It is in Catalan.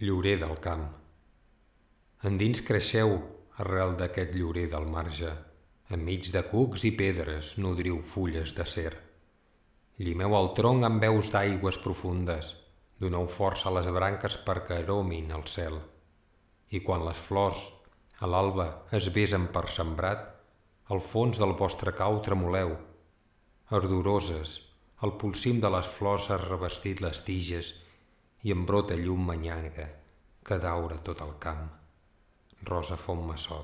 Llorer del camp. Endins creixeu, arrel d'aquest llorer del marge, enmig de cucs i pedres nodriu fulles d'acer. Llimeu el tronc amb veus d'aigües profundes, doneu força a les branques perquè aromin el cel. I quan les flors, a l'alba, es besen per sembrat, al fons del vostre cau tremoleu. Ardoroses, el polsim de les flors ha revestit les tiges i en brota llum manyaga que daura tot el camp. Rosa Fontmassot.